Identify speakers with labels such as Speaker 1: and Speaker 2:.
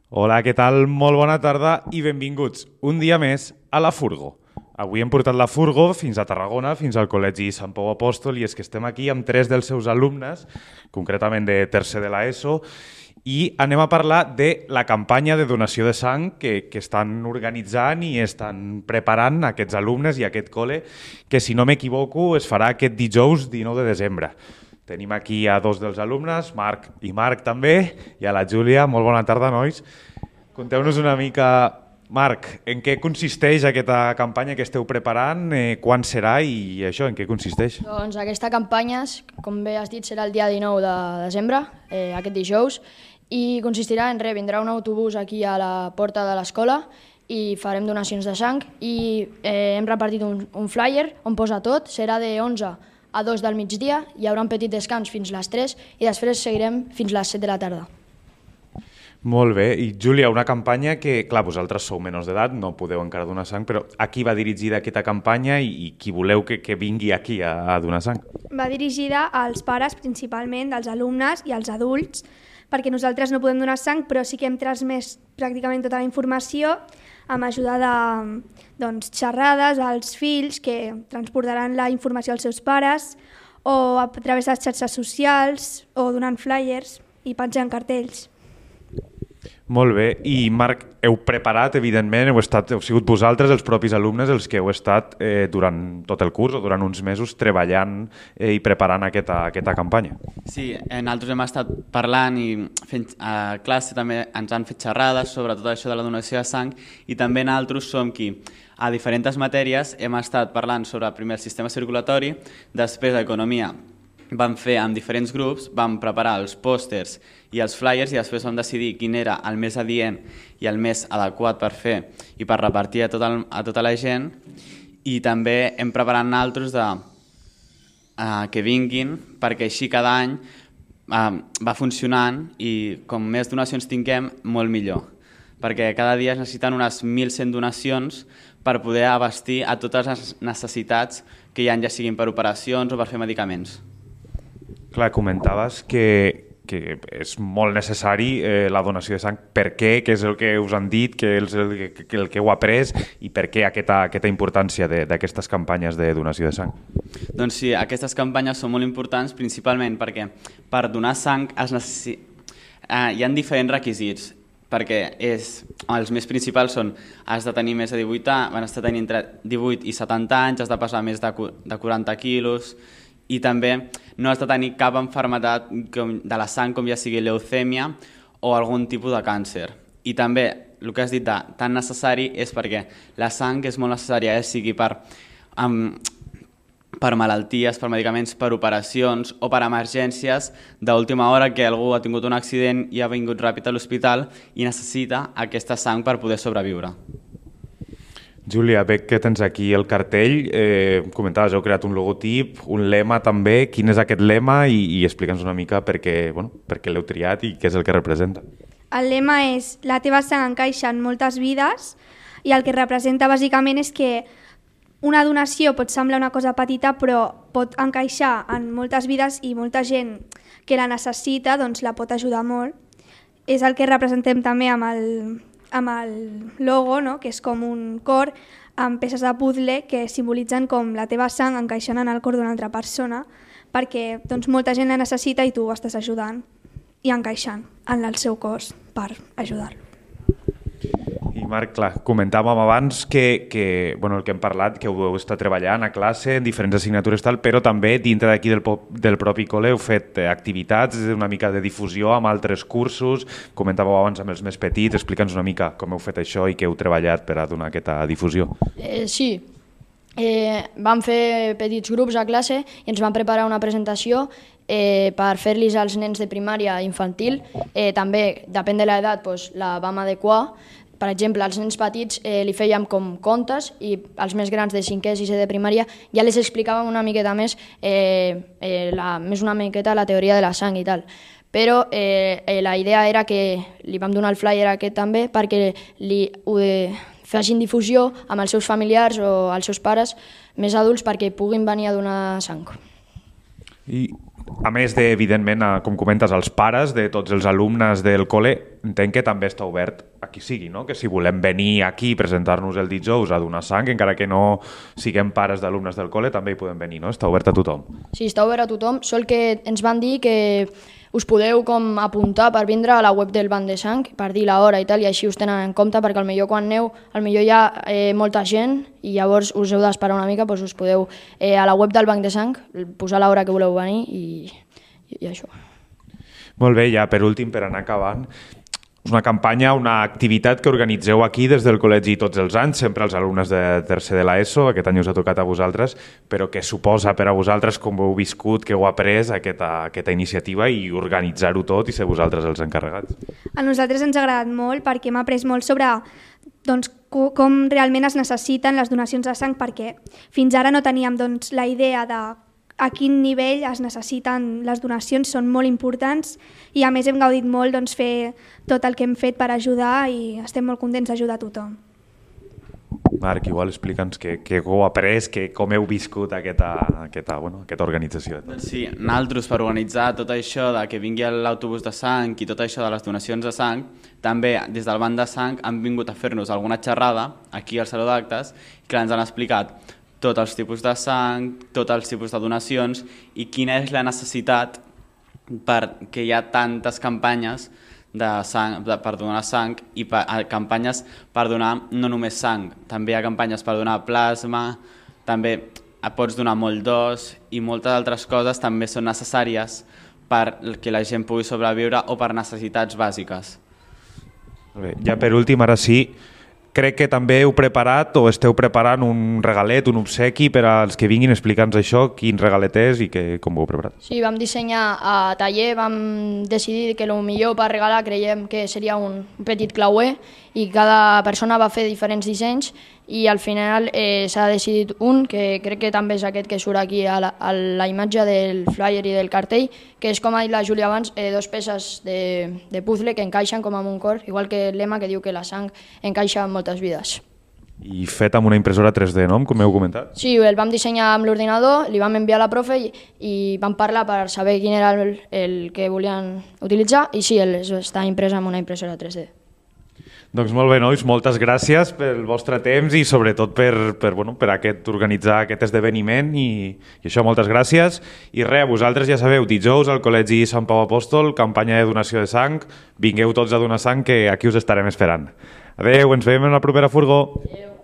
Speaker 1: Hola, què tal? Molt bona tarda i benvinguts un dia més a la Furgo. Avui hem portat la Furgo fins a Tarragona, fins al Col·legi Sant Pau Apòstol, i és que estem aquí amb 3 dels seus alumnes, concretament de tercer de l'ESO, i anem a parlar de la campanya de donació de sang que estan organitzant i estan preparant aquests alumnes i aquest col·le, que si no m'equivoco es farà aquest dijous 19 de desembre. Tenim aquí a 2 dels alumnes, Marc i Marc també, i a la Júlia. Molt bona tarda, nois. Conteu-nos una mica, Marc, en què consisteix aquesta campanya que esteu preparant, quan serà i això, en què consisteix?
Speaker 2: Doncs aquesta campanya, com bé has dit, serà el dia 19 de desembre, aquest dijous, i consistirà en vindrà un autobús aquí a la porta de l'escola i farem donacions de sang i hem repartit un flyer on posa tot, serà de 11 a 2 del migdia, hi haurà un petit descans fins les 3 i després seguirem fins les 7 de la tarda.
Speaker 1: Molt bé. I Júlia, una campanya que, clar, vosaltres sou menors d'edat, no podeu encara donar sang, però a qui va dirigida aquesta campanya i qui voleu que vingui aquí a donar sang?
Speaker 3: Va dirigida als pares, principalment, dels alumnes i als adults, perquè nosaltres no podem donar sang, però sí que hem transmès pràcticament tota la informació amb ajuda de xerrades als fills que transportaran la informació als seus pares o a través de les xarxes socials o donant flyers i penjant cartells.
Speaker 1: Molt bé. I Marc, heu preparat, evidentment, heu sigut vosaltres, els propis alumnes, els que heu estat durant tot el curs o durant uns mesos treballant i preparant aquesta campanya.
Speaker 4: Sí, nosaltres hem estat parlant i fent a classe també ens han fet xerrades sobre tot això de la donació de sang i també nosaltres som qui a diferents matèries hem estat parlant sobre primer el sistema circulatori, després l'economia. Vam fer amb diferents grups, vam preparar els pòsters i els flyers i després vam decidir quin era el més adient i el més adequat per fer i per repartir a tota la gent, i també hem preparat nosaltres que vinguin perquè així cada any va funcionant i com més donacions tinguem, molt millor. Perquè cada dia es necessiten unes 1.100 donacions per poder abastir a totes les necessitats que hi ha, ja siguin per operacions o per fer medicaments.
Speaker 1: Clar, comentaves que és molt necessari la donació de sang. Per què? Què és el que us han dit? Què és el que heu après? I per què aquesta importància d'aquestes campanyes de donació de sang?
Speaker 4: Doncs sí, aquestes campanyes són molt importants principalment perquè per donar sang hi ha diferents requisits, perquè els més principals són has de tenir més de 18 anys, has de tenir entre 18 i 70 anys, has de pesar més de 40 quilos, i també no has de tenir cap malaltia de la sang, com ja sigui leucèmia o algun tipus de càncer. I també el que has dit de tan necessari és perquè la sang és molt necessària, sigui per malalties, per medicaments, per operacions o per emergències d'última hora, que algú ha tingut un accident i ha vingut ràpid a l'hospital i necessita aquesta sang per poder sobreviure.
Speaker 1: Júlia, veig que tens aquí el cartell, comentaves, heu creat un logotip, un lema també. Quin és aquest lema i explica'ns una mica per què l'heu triat i què és el que representa.
Speaker 3: El lema és la teva sang encaixa en moltes vides i el que representa bàsicament és que una donació pot semblar una cosa petita però pot encaixar en moltes vides i molta gent que la necessita doncs la pot ajudar molt. És el que representem també amb el logo, no? Que és com un cor amb peces de puzzle que simbolitzen com la teva sang encaixant en el cor d'una altra persona, perquè doncs, molta gent la necessita i tu estàs ajudant i encaixant en el seu cos per ajudar-lo.
Speaker 1: I Marc, clar, comentàvem abans que el que hem parlat, que heu estat treballant a classe en diferents assignatures tal, però també dintre d'aquí del propi col·le heu fet activitats, una mica de difusió amb altres cursos. Comentàveu abans amb els més petits, explica'ns una mica com heu fet això i què heu treballat per a donar aquesta difusió.
Speaker 2: Sí, vam fer petits grups a classe i ens vam preparar una presentació per fer-los als nens de primària i infantil. També, depèn de l'edat, la vam adequar. Per exemple, als nens petits li fèiem com contes i als més grans de 5è i 6è de primària ja les explicàvem una miqueta més, una miqueta la teoria de la sang i tal. Però la idea era que li vam donar el flyer aquest també perquè facin difusió amb els seus familiars o els seus pares més adults perquè puguin venir a donar sang.
Speaker 1: I a més de, evidentment, com comentes, els pares de tots els alumnes del col·le, entenc que també està obert a qui sigui, no? Que si volem venir aquí i presentar-nos el dijous a donar sang, encara que no siguem pares d'alumnes del col·le, també hi podem venir, no? Està obert a tothom.
Speaker 2: Sí, està obert a tothom, sol que ens van dir que us podeu com apuntar per vindre a la web del banc de sang, per dir l'hora i tal, i així us tenen en compte, perquè potser quan aneu, potser hi ha molta gent i llavors us heu d'esperar una mica, doncs us podeu a la web del banc de sang posar l'hora que voleu venir i això.
Speaker 1: Molt bé, ja per últim, per anar acabant, és una campanya, una activitat que organitzeu aquí des del col·legi tots els anys, sempre els alumnes de tercer de l'ESO, aquest any us ha tocat a vosaltres, però què suposa per a vosaltres, com ho heu viscut, què heu après aquesta iniciativa i organitzar-ho tot i ser vosaltres els encarregats?
Speaker 3: A nosaltres ens ha agradat molt perquè hem après molt sobre doncs, com realment es necessiten les donacions de sang, perquè fins ara no teníem doncs, la idea de a quin nivell es necessiten les donacions, són molt importants i a més hem gaudit molt doncs, fer tot el que hem fet per ajudar i estem molt contents d'ajudar a tothom.
Speaker 1: Marc, igual explica'ns què heu après, com heu viscut aquesta organització.
Speaker 4: Doncs sí, nosaltres per organitzar tot això de que vingui l'autobús de sang i tot això de les donacions de sang, també des del banc de sang han vingut a fer-nos alguna xerrada aquí al Saló d'Actes i que ens han explicat tots els tipus de sang, tots els tipus de donacions i quina és la necessitat perquè hi ha tantes campanyes de sang, per donar sang i campanyes per donar no només sang, també hi ha campanyes per donar plasma, també pots donar molt d'os i moltes altres coses també són necessàries perquè la gent pugui sobreviure o per necessitats bàsiques.
Speaker 1: Bé, ja per últim, ara sí, crec que també heu preparat o esteu preparant un regalet, un obsequi per als que vinguin. Explica'ns això, quin regalet és i com ho heu preparat.
Speaker 2: Sí, vam dissenyar a taller, vam decidir que el millor per regalar creiem que seria un petit clauer i cada persona va fer diferents dissenys i al final s'ha decidit un, que crec que també és aquest que surt aquí a la imatge del flyer i del cartell, que és, com ha dit la Júlia abans, dos peces de puzzle que encaixen com amb un cor, igual que el lema que diu que la sang encaixa en moltes vides.
Speaker 1: I fet amb una impressora 3D, no? Com heu comentat?
Speaker 2: Sí, el vam dissenyar amb l'ordinador, li vam enviar a la profe i vam parlar per saber quin era el que volien utilitzar i sí, està imprès amb una impressora 3D.
Speaker 1: Doncs molt bé, nois, moltes gràcies pel vostre temps i sobretot per organitzar aquest esdeveniment i això, moltes gràcies. I res, vosaltres ja sabeu, dijous al Col·legi Sant Pau Apòstol, campanya de donació de sang, vingueu tots a donar sang que aquí us estarem esperant. Adéu, ens veiem en la propera furgó. Adéu.